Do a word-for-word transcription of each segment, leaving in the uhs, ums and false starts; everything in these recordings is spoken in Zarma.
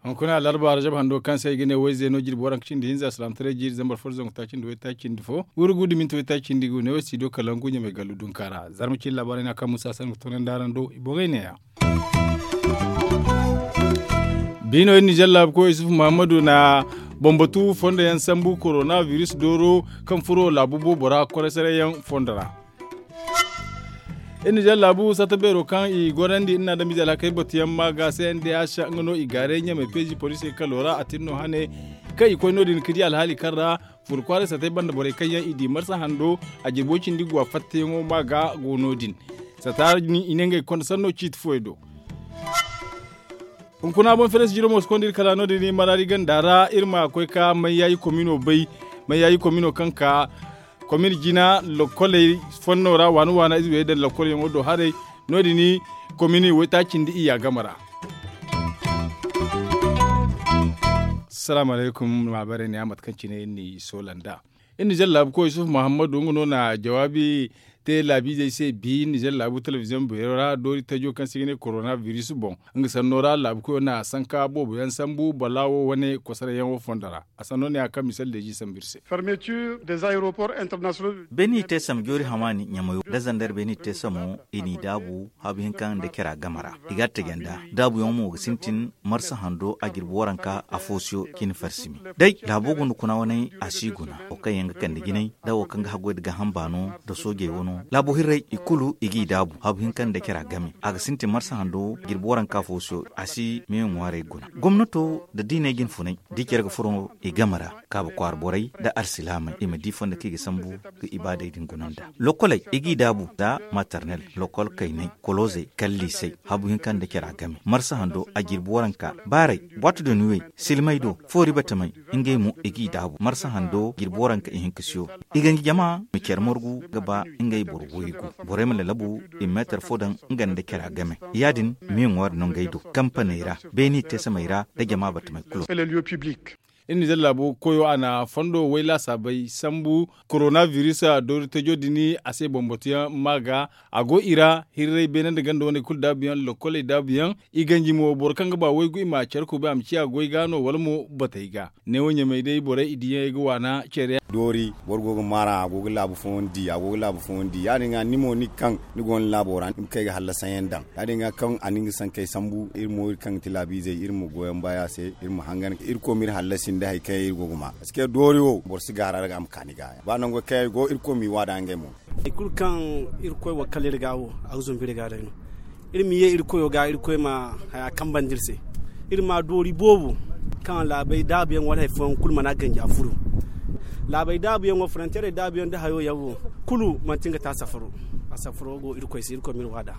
Hunkuna alarba rajab hando kaŋ se ay ga ne wayze no jirbi waranka cindi hinza salaamataray jiiri zambar fo da zangu taaci nda waytaaci nda fo, wurgu da minti waytaaci nda gu ne wo studio kalangu ɲamay gallu dunka ra. Zarma cine laabaarey no a kaŋ musa sanni ga toonandi araŋ do i boŋey neeya. Biino iri nizer laabu koy isufu muhammadu na bambatu fondo yaŋ sambu korona biris dooro kaŋ furo laabu boobo ra koray saray yaŋ fondo ra. Iri nizer laabu satta beero kaŋ i gorandi iri na adamize alhakey batuyaŋ ma ga se nda yaasa nga no i gaaray ɲamay peezi poliisey kalo ra a tin no hane kaŋ i koy no- din ga di alhaali kaŋ ra furo kwaaray sattey banda borey kaŋ yaŋ i di marsa hando a jirbo cindi guwa fattayaŋo ma ga go no- din. Satta i ne ngey konda sanno ciiti fooyaŋ do. Hunkuna boŋ feres jiro mo si konda iri kala no- din maraari ganda ra iri ma koy ka mayyaayi komino bay. Mayyaayi komino kaŋ ka komini jina lokkoley fonno ra waana waana ize wey daŋ lokkolyaŋo do haray. No- din komini waytaaci nda iyya game ra. Salaamu alaykum. Maabarey ne a mate kaŋ cine iri n'i soola nd'a. Iri nizer laabu koy isufu muhammadu nga no na jawaabi te laabiizey se bi nizer laabu telebiziyoŋ beero ra doori tajo kaŋ se i ga ne korona biris boŋ. Nga sanno ra laabu koyo na sanka boobo yaŋ sambu balaawo wane kosarayyaŋo fondo ra. A sanno ne a kaŋ misal deezi sambu iri se. Beeni te sam joori hamaani ɲamayo da zandar beeni te samo i n'i daabu habu hinka nda kera game ra. I ga a taji nd'a daabuyaŋo mo ga sintin marsa hando a jirbi waranka afo siyo cine farsimi. Day laabo guna kuna waney a si guna wo kaŋ yaŋ ga kande jinay da wo kaŋ ga haggoy nda gaaham baano nda soojey wano laabo hirrey i kulu i g'i daabu habu hinka nda kera game a ga sintin marsa hando jirbi waranka afo siyo a si meeyo ŋwaarey guna. Gomnato nda diiney jinfunay da i care ga furo i game ra kaaba kwaara borey nda alsilaamey i ma di fondo kaŋ i ga sambu ga ibaadey din guna nd'a. Lokkoley i g'i daabu nda maternel lokkol kayney koloozey kala liisey habu hinka nda care a game marsa hando a jirbi waranka baaray boito de nuwey silmay do foori batamey ngey mo i g'i daabu marsa hando jirbi waranka ihinka siyo. I ganji jama ma care margu ga ba ngey boro waygu borey ma lalabu i ma meetar fo daŋ nga nda care a game. Ya- din me ŋwaari no ngey do kampaney ra beeni teesamey ra nda jama batamey kulu. Iri nizer laabo koyo a na fondo way laasaabey sambu korona biris doori tajo din a se bambatuyaŋ ma ga a go i ra hirray beene nda ganda wane kulu daabuyaŋ lokkoley daabuyaŋ i ganji mo boro kaŋ ga ba waygu i ma care kubay a ma ciya goy ga no wala mo batey ga. Neewo ɲamey day borey i diyaŋ ay ga waana care yaŋ. Doori boro go ga maar'a a go ga laabu fooyaŋ di a go ga laabu fooyaŋ di ya- din ga ni mo ni ga kaŋ ni go ni laabo ra ni ma kay ga hallasayaŋ daŋ ya- din ga kaŋ a na nga sankey sambu iri mo iri kaŋ ga ti laabiizey iri ma goyaŋ baya se iri ma hangan irkoy ma iri hallasi nda hari kaŋ yaŋ iri go ga ma. Parce que doori wo boro si gaara ra ga a ma ka ni ga ba nango kaŋ yaŋ go irkoy m'i waada ngey mo. Hari kulu kaŋ irkoy wakkal iri ga wo a ga zumbu iri ga day no. Iri ma ye iri koyo ga iri koy ma haya kambandi iri se. Iri ma doori boobo kaŋ laabey daabuyaŋ wala hari fooyaŋ kulu mana ganji a furo. Laabey daabuyaŋo fronteerey daabuyaŋ nda hayo yaŋ wo kulu manti nga te a safaro. A safaro go iri koy se iri koy ma iri waada.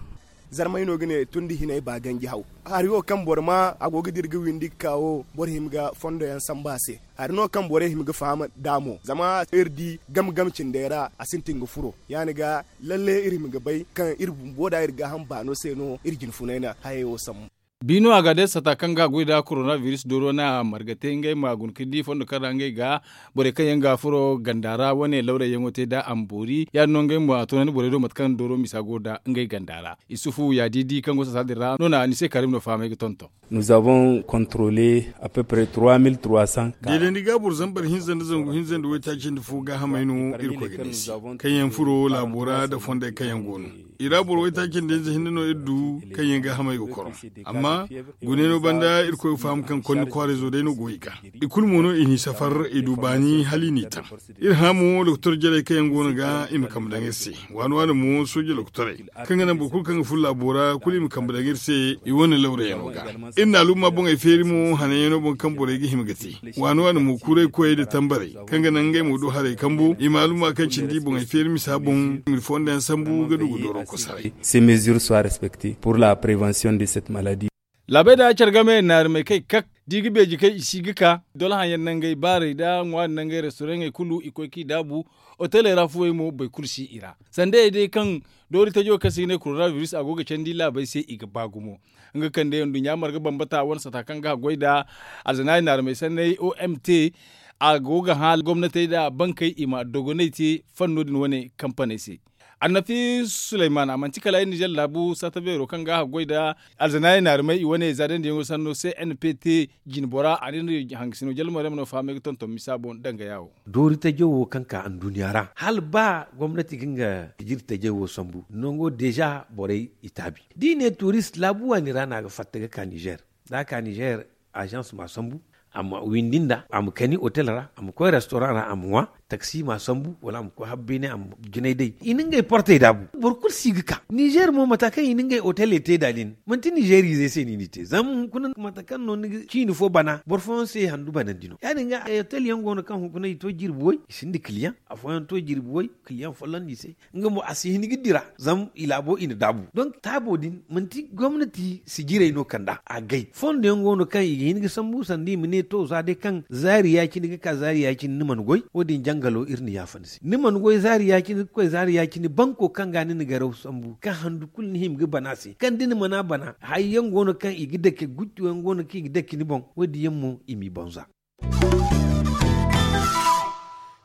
Zarmay no ga ne tun da hinay ba ganji haw. Hari wo kaŋ boro ma a go ga dira ga windi ga ka wo boro hima ga fondo yaŋ sambu a se. Hari no kaŋ borey hima ga faham nd'a mo zama iri di game game cindey ra a sintin ga furo. Ya- ni ga lalle iri hima ga bay kaŋ iri bumbo da iri gaaham baano se no iri jinfunay na hayey wo sambu. Biino a ga day sata kaŋ ga goy nda korona biris dooro na marga te ngey ma guna ga di fondo kaŋ ra ngey ga borey kaŋ yaŋ ga furo ganda ra wane lawrayyaŋo te nda a ma boori ya- din no ngey mo a toonandi borey do mate kaŋ dooro misa go nda ngey ganda ra. Isufu ya- di di kaŋ go sata din ra no na ni se karim no fahamay ga tonton. Nous avons contrôlé à peu près trois mille trois cents cas. Deelandi gaaboro zambar hinza nda zangu hinza nda waytaaci nda fo gaahamey no irkoy ga ne se kaŋ yaŋ furo laabo ra nda fondey kaŋ yaŋ go no. I ra boro waytaaci nda hinza hinne no iri du kaŋ yaŋ gaahamey ga koro. Amma gune no banda irkoy ga faham kaŋ konni kwaarayzo day no go i ga. I kulu mo no i n'i safar i du baani hala i n'i taŋ. Iri hã mo doktor jarey kaŋ yaŋ go no ga i ma kambe daŋ iri se. Waani waani mo sooje doktorey kaŋ ga naŋ boro kulu kaŋ ga furo laabo ra kulu i ma kambe daŋ iri se. I wane lawrayaŋo ga iri na alumma boŋey feeri mo hananyaŋo boŋ kaŋ borey ga hima ga te. Waani waani mo kuuray koyey nda tambarey kaŋ ga naŋ ngey mo du haray kambo i ma alumma kaŋ cindi boŋey feeri misa boŋ i ma iri fonda yaŋ sambu ga du ga dooro kosaray. Ces mesures soient respectées pour la prévention de cette maladie. Laabey da care game naari may kay kak da i ga beeji kay i si ga ka dolahaŋ yaŋ nangey baarey nda ŋwaari nangey restoraŋey kulu i koy k'i daabu. Oteley ra fuwey mo boro kulu si i ra sandayey day kaŋ doori tajo kaŋ se i ga ne korona biris a go ga candi laabey se i ga ba gumo. Nga kande nduɲɲa marga bambata wane sata kaŋ ga goy nda alzanaari naari may sanney omt. a go ga hã gomnatey nda bankey i ma dogonay te fanno din wane kampaney se. Annafi suleyman a manti kala ay nizer laabu satta beero kaŋ ga a goy nda alzanaayey naarumey i wane zaadandi yaŋo sanno se n p t jinbora a na iri hangasino jalmar yaŋ ma no fahamay ga tonton misa boŋ danga yaawo. Doori tajo wo kaŋ ka anduuniya ra hala ba gomnati ga nga jiri tajey wo sambu nango deeza borey i taabi da i ne tuurist laabu waani ra no a ga fatta ga ka nizer da a ka nizer azans ma sambu a ma windi nda a ma kani otel ra a ma koy restoran ra a ma ŋwa taksi ma sambu wala a ma koy habbeene a ma jinay day i na ngey portey daabu boro kulu si ga ka nizer mo mata kaŋ i na ngey oteley te da din manti nizeriizey se no i n'i te zama hunkuna mata kaŋ no ni ga ciini fo bana boro fooyaŋ se handu banandi no ya- din ga otel yaŋ go no kaŋ hunkuna i to jirbi way i sinda kiliyaŋ afooyaŋ to jirbi way kiliyaŋ folloŋ no i se nga mo a si hin ga dira zama i laabo i na daabu donk taabo din manti gomnati sijirey no kand'a agay fondo yaŋ go no kaŋ i ga hin ga sambu sanda i ma ne to za day kaŋ zaari ya-cine ga ka zaari ya-cine ni mana goy wo- din jangalo iri na yaafa ni se ni mana goy zaari ya-cine ga koy zaari ya-cine banko kaŋ ga ni na garaw sambu kaŋ handu kulu ni hima ga bana se kaŋ da ni mana bana hari yaŋ go no kaŋ i ga dake guttu yaŋ go no kaŋ i ga dake ni boŋ wo- din yaŋ mo i m'i boŋ za.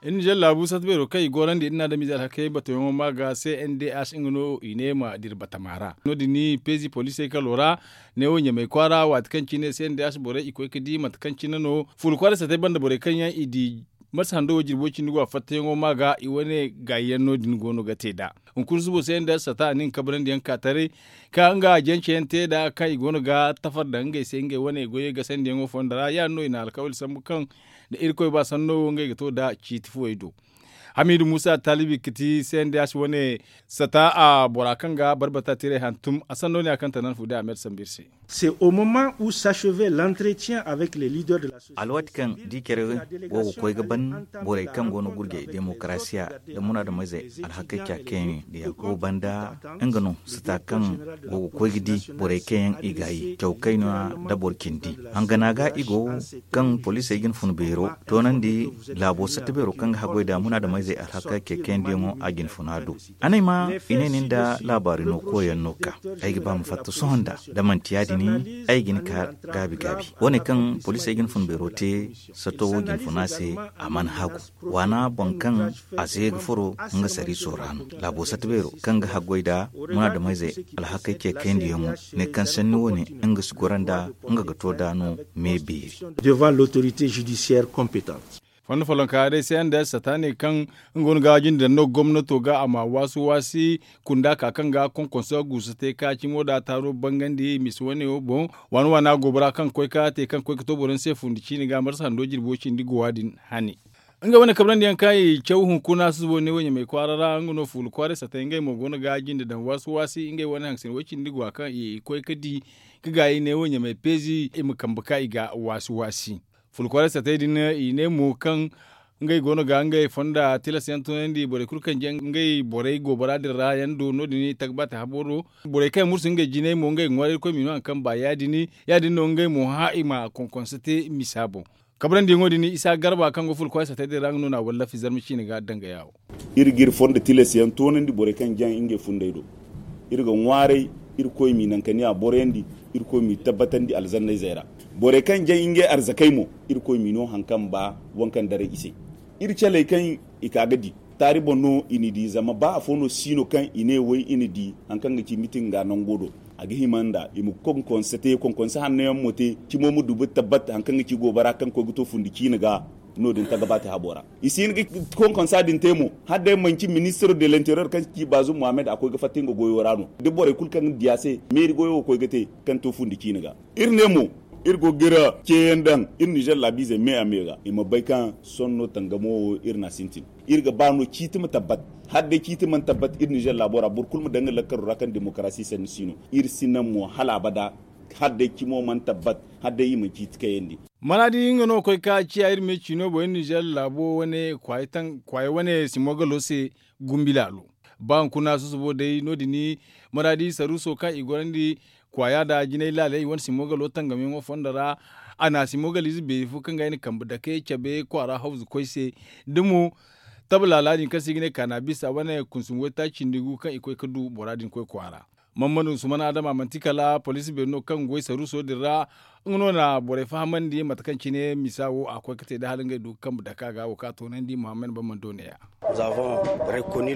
Iri na jalla abu sata beero kaŋ i gorandi iri na adamize alhakey batoyaŋo ma ga se n d h nga no i ne ma dira batama ra no- din ni peezi poliisey kalo ra neewo ɲamey kwaara waati kaŋ cine se n d h borey i koy ga di mate kaŋ cine no fuula kwaaray satey banda borey kaŋ yaŋ i di marsa hando wo jirbo cindi go a fattayaŋo ma ga i wane gaayi yaŋ no- din go no ga te nd'a. Hunkuna subo se n d h sata a na nga kabrandi yaŋ ka taray ka nga jance yaŋ te nd'a kaŋ i go no ga tafar daŋ ngey se ngey wane goyey gasandiyaŋo fonda ra ya- din no i na alkawali sambu kaŋ da irkoy ba sanno wo ngey ga to nd'a ciiti fuwey do. Hamiidu muusa taalibi ga ti se n d h wane sata a bora kaŋ ga barbata tiray hantum a sanno ne a kaŋ tanan fu day a me da sambu iri se. Alwaati kaŋ da i care go ga koy ga ban borey kaŋ go no gurjay demokarasiya nda munaadameyzey alhakey ca kayne da yakuba banda nga no sata kaŋ go ga koy ga di borey kaŋ yaŋ i gaayi caw kayna nda boro cindi hangana ga i go kaŋ poliisey ga ni fun beero toonandi laabo satta beero kaŋ ga haggoy nda munaadameyzey alhakey kayandiyaŋo a ga ni funa do. Anay ma i ne nin da laabaari no koyaŋ no ka ay ga ba ma fatta sohõ nda da manti ya- din ay ga ni ka gaabi gaabi wane kaŋ poliisey ga ni fun beero te sato wo ga ni funa se a mana hagu waana boŋ kaŋ a se ga furo nga sariiso ra no laabo satta beero kaŋ ga haggoy nda munaadameyzey alhakey ce kayandiyaŋo ne kaŋ sanni wane nga si goro nda nga ga to nd'a no me beeri. Devant l'autorité judiciaire compétente. Fondo follonka day se n d h sata ne kaŋ nga wane ga jinde daŋ no gomnato ga a ma waasu waasi kunda ka kaŋ ga konkonso guusu te ka cimo da taaro bangandi misi wane wo boŋ waana waana goobora kaŋ koy ka te kaŋ koy ga to boro ni se fundi ciini ga marsa hando jirbo cindi gowa din hane. Nga wane kabrandi yaŋ kaŋ i caw hunkuna susubo ne wo ɲamay kwaara ra nga no fuula kwaaray satay ngey mo go no ga jinde daŋ waasi waasi ngey wane haŋsin way cindi gowa kaŋ i koy ga di ga gaayi ne wo ɲamay peezi i ma kambe ka i ga waasi waasi. Fulkwaaray satey din i ne mo kaŋ ngey go no ga ngey fonda tilas yaŋ tunandi borey kulu kaŋ jaŋ ngey borey goobara din ra yaŋ do no- din i tagbata habo do. Borey kaŋ yaŋ mursu ngey jinay mo ngey ga ŋwaaray irkoy m'i no hari kaŋ ba ya- din ya- din no ngey mo hã i ma konkonse te misa boŋ. Kabrandi yaŋo din isa garba kaŋ go fulkwaaray satey din ra nga no na wallafi zarma ciine ga danga yaawo. Iri ga iri fondo tilas yaŋ toonandi borey kaŋ jaŋ ngey funday do. Iri ga ŋwaaray irkoy m'i naŋ ka ne a boroyandi. Irkoy m'i tabbatandi alzannayzey ra. Borey kaŋ jaŋ ngey arzakey mo irkoy m'i no hari kaŋ ba waŋ kaŋ daray i se. Iri caley kaŋ i ka ga di taari boŋ no i n'i di zama ba afo no si no kaŋ i ne way i n'i di hari kaŋ ga ci mitin ga nango do. A ga hima nda i ma konkonse te konkonse hanno yaŋ mo te cimo ma dubu tabbat hari kaŋ ga ci goobara kaŋ koy ga to fundi ciine ga. No- din tagabaati habo ra i si hin ga konkonsa din te mo hala day manci ministiro de l'interior kaŋ ci baazum mohammed a koy ga fatta nga goyo ra no da borey kulu kaŋ ga di a se meeri goyo wo koy ga te kaŋ to fundi ciine ga. Iri ne mo iri go ga iri ceeyaŋ daŋ iri nizer laabiizey me a me ga i ma bay kaŋ sohõ no tangamo wo iri n'a sintin. Iri ga ba no ciiti ma tabbat hala day ciiti mana tabbat iri nizer laabo ra boro kulu ma daŋ nga lakkaro ra kaŋ demokarasi sanni si no. Iri si naŋ mo hala abada hala day cimo mana tabbat hala day i mana ciiti kayandi. Maraadi nga no koy ka ciya iri me ciino boŋ iri nizer laabo wane kwaaya wane simogalo se gumbi laalo. Ba hunkuna susubo day no- din maraadi saruuso kaŋ i gorandi kwaaya nda jinay laaley i wane simogalo tangamyaŋo fondo ra. A na simogaliize beeri fo kaŋ ga ay na kambe dake cabe kwaara hawzu koy se da mo taba laala din kaŋ se i ga ne kaana bisa wane kunsum waytaaci cindi gu kaŋ i koy ga du bora din koy kwaara. Mammadu sumana adama manti kala poliisi beeri no kaŋ goy saruuso din ra. Nga no na borey fahamandi mate kaŋ cine misa wo a koy ga te da hala ngey du ga kambe dake a ga wo kaŋ a toonandi muhammad bamman do neeya.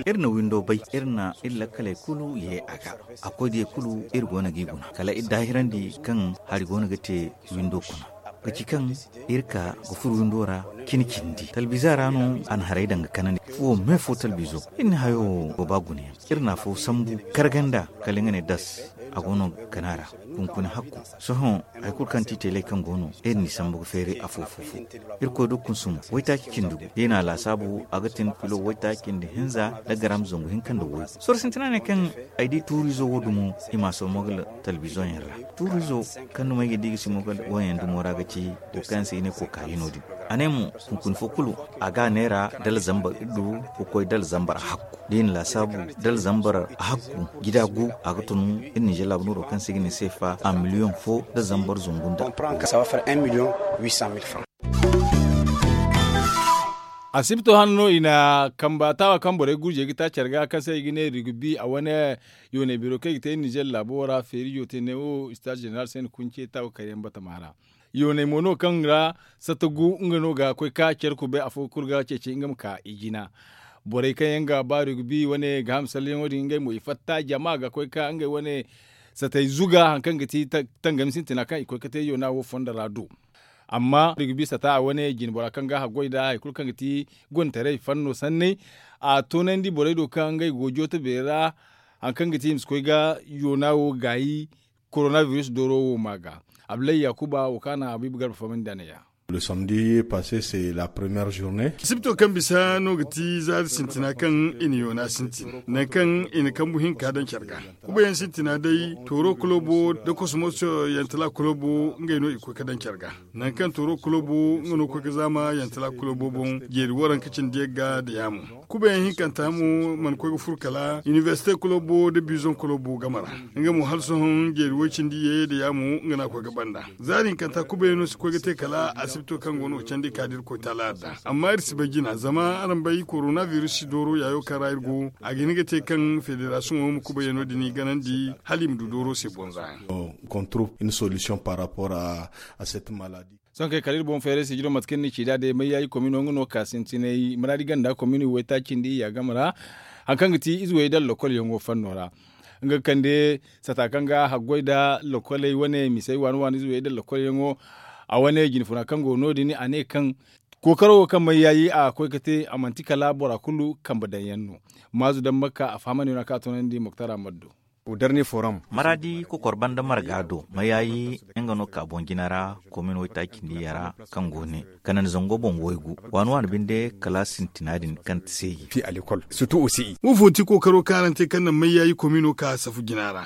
Iri na windo bay, iri na iri lakkaley kulu ye a ga. A koy diya kulu iri go no g'i guna kala iri daahirandi kaŋ hari go no ga te windo kuna. Ga ci kaŋ iri ka ga furo windo ra cine cindi talbiza ra no a na haray daŋ ga kanandi fuwo me fo talbizo. Iri na hayo go ba gunayaŋ. Iri na afo sambu karganda kala nga ne das a go no ga kana ra. Kunkuni hakku sohõ hari kulu kaŋ ti teeley kaŋ go no iri n'i sambu ga feeray afo fo fo. Irkoy do kunsumo waytaaci cindi gu da i na a laasaabu a ga tin filo waytaaci cindi hinza nda garam zangu hinka nda woy. Sorro sintina ne kaŋ ay di tuurizo wo dumo i m'a soomo ga talbizoyaŋ ra. Tuurizo kaŋ dumo ay ga di ga simo ga woyaŋ dumo ra ga ci wo kaŋ se i ne kokayi no- din. A ne mo hunkuna fo kulu a ga a neera dala zambar iddu ga koy dala zambar hakku da i na laasaabu dala zambar hakku gida gu a ga tun iri ninzeer laabu nooro kaŋ se i ga ne seefa a miliyoŋ fo da zambar zungu nda. Asibto hane no i na kamba taawa kaŋ borey gurjey ga taaci care ga kaŋ se i ga ne rigbi a wane yooney biro kaŋ i ga te iri ninzeer laabo ra feerijo te ne wo istaaz zeneral se ni kunce taawa kayyaŋ batama ra. Yooney mo no kaŋ ra satta gu nga no ga koy ka care kubay afo kulu ga ceeci nga ma ka i jina. Borey kaŋ yaŋ ga ba rigbi wane ga ham salleyaŋo din ngey mo i fatta jama ga koy ka ngey wane satay zuga hari kaŋ ga ti tangami sintina kaŋ i koy ga te yoona wo fondo ra du. Amma rigbi sata a wane jinbora kaŋ ga haggoy nda hari kulu kaŋ ga ti gontaray fanno sanney a toonandi borey do kaŋ ngey go jooto beeri ra. Hari kaŋ ga ti i ma si koy ga yoona wo gaayi korona biris dooro wo ma ga. Abdullahi yakuba wo kaŋ a na habiibu garba fahamandi a ne ya. Le samedi passe c'est la première journée. Sibto kaŋ bisa no ga ti zaari sintina kaŋ i na yoona sintin nangu kaŋ i na kambu hinka daŋ care ga. Kubayaŋ sintina day tooro kulobo nda kosmos yantala kulobo ngey no i koy ga daŋ care ga. Nangu kaŋ tooro kulobo nga no koy ga zaama yantala kulobo boŋ jeeri waranka cindi yagga nda yaamo. Kubayaŋ hinkanta mo mana koy ga furo kala inibersite kulobo nda bizon kulobo game ra. Nga mo hala sohõ jeeri woy cindi ye nda yaamo nga no a koy ga banda. Zaari hinkanta kubayaŋo si koy ga te kala asibito kaŋ go no ga candi ka da irkoy taala adda. Amma iri si bay jina zama araŋ bay korona biris si dooro yaayo kaŋ ra iri go. A ga hin ga te kaŋ federasiyoŋo ma kubayaŋo din i ganandi hala i ma du dooro se bonza yaŋ. Sohõ kay kala iri boŋ feeray sijiro mate kaŋ ni ci da day mayyaayi komino nga no ka sintinay maraadi ganda komino waytaacindi ya game ra. Hari kaŋ ga ti ize way da lakkol yaŋo fanno ra nga ga kande sata kaŋ ga haggoy nda lakkoley wane misey waani waani ize way da lakkol yaŋo. A wane jinfuna kaŋ go no- din a ne kaŋ kookaro wo kaŋ mayyaayi a koy ga te a manti kala bora kulu kambe daŋ yaŋ no. Maazu daŋ makka a fahamandi no a ka a toonandi moktar ahmad do. Maraadi kokor banda marga do mayayi nga no ka boŋ jina ra komin waytaacindi yara kaŋ go ne kanandi zango boŋ waygu waani waani binde kala sintina din kaŋ ti se yi. Wo fo ti kookaro kaŋ araŋ te kaŋ naŋ mayayi komino ka safu jina ra.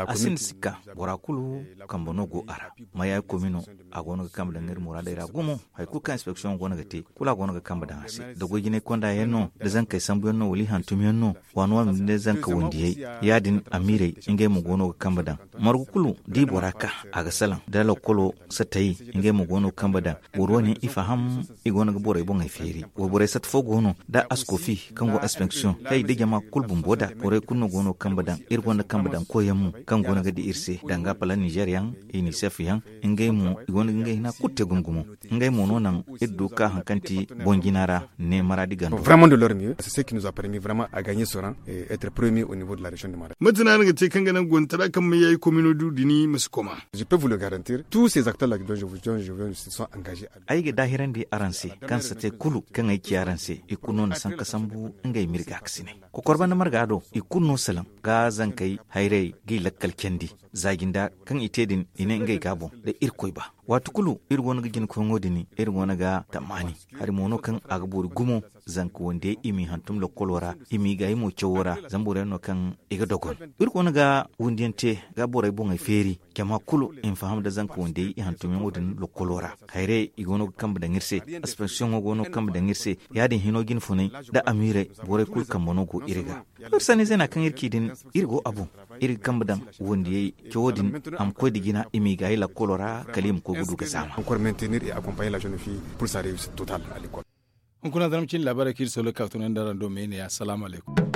A sinda sikka bora kulu kambe no go a ra. Mayayi komino a go no ga kambe daŋ iri muraadey ra gumo hari kulu kaŋ inspeksiyoŋo go no ga te kulu a go no ga kambe daŋ a se da goy jinay konda yaŋ no da zankey sambu yaŋ no wala i hantum yaŋ no. Waani waani binde zanka wandiyey ya- din amiirey ngey mo go no ga kambe daŋ. Margu kulu da i bora ka a ga salaŋ da lakkolo satay ngey mo go no ga kambe daŋ. Boro wane i faham i go no ga borey boŋey feeri. Wayborey satta fo go no da askofi kaŋ go inspeksiyoŋ hay da jama kulu bumbo da borey kulu no go no ga kambe daŋ. Iri gonda kambe daŋ koyyaŋ mo kaŋ go no ga di iri se danga pala nizer yaŋ, inisef yaŋ, ngey mo i go no ga ngey hina kulu te gumo gumo. Ngey mo no naŋ iri du ga ka hari kaŋ ti boŋ jina ra ne maraadi gando. Mate no araŋ ga te kaŋ ga naŋ gontara kaŋ ma yayi komino du dini ma si koma? Ay ga daahirandi araŋ se kaŋ sate kulu kaŋ ay ci araŋ se i kulu no na sanka sambu ngey ma iri gaakasinay. Kokor banda marga do i kulu no salaŋ ga zankey hayrey g'i lakkal candi. Za jinda kaŋ i te din i ne ngey ga a boŋ da irkoy ba. Waati kulu iri go no ga jina koyŋo din iri go no ga tammaani. Hari mo no kaŋ a ga boori gumo zanka wandiyey i m'i hantum lokkolo ra i m'i gaayi mo cawo ra. Zama boro yaŋ no kaŋ i ga dogon iri go no ga wundiyaŋ te ga borey boŋey feeri. Jama kulu i ma faham nda zanka wandiyey i hantumyaŋo din lokkolo ra. Hayray i go no ga kambe daŋ iri se. Aspensiyoŋo go no ga kambe daŋ iri se. Ya- din hino jinfunay nda amiirey borey kulu kambe no go iri ga. Iri sanni zeena kaŋ iri ci din iri go a boŋ. Iri ga kambe daŋ wandiyey cawo din a ma koy nda jina i m'i gaayi lakkolo ra kala i ma koy ga du ga zaama. Hunkuna zarma cine laabaarey kaŋ iri solo ga ka ga tunandi araŋ do me ne ya salaamu alaykum.